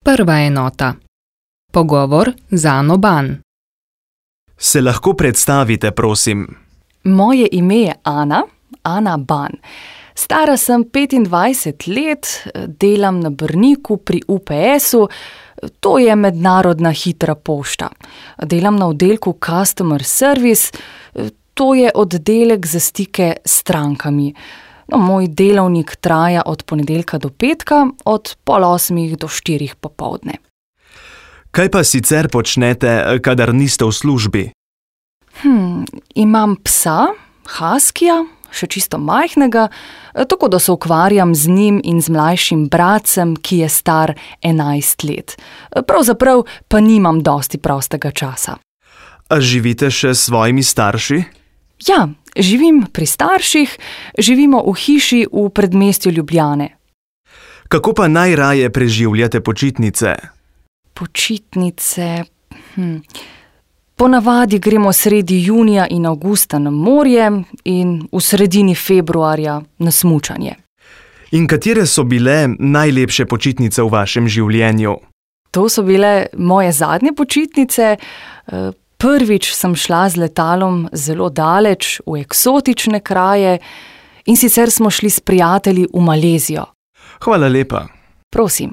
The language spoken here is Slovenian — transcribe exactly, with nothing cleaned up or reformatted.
Prva enota. Pogovor z Ano Ban. Se lahko predstavite, prosim? Moje ime je Ana, Ana Ban. Stara sem petindvajset let, delam na Brniku pri U P S-u, to je mednarodna hitra pošta. Delam na oddelku Customer Service, to je oddelek za stike s strankami. No, moj delovnik traja od ponedeljka do petka, od pol osmih do štirih popoldne. Kaj pa sicer počnete, kadar niste v službi? Hm, imam psa, haskija, še čisto majhnega, tako da se ukvarjam z njim in z mlajšim bratcem, ki je star enajst let. Pravzaprav pa nimam dosti prostega časa. A živite še s svojimi starši? Ja, živim pri starših, živimo v hiši v predmestju Ljubljane. Kako pa najraje preživljate počitnice? Počitnice... Hm. Ponavadi gremo sredi junija in avgusta na morje in v sredini februarja na smučanje. In katere so bile najlepše počitnice v vašem življenju? To so bile moje zadnje počitnice. Prvič sem šla z letalom zelo daleč, v eksotične kraje, in sicer smo šli s prijatelji v Malezijo. Hvala lepa. Prosim.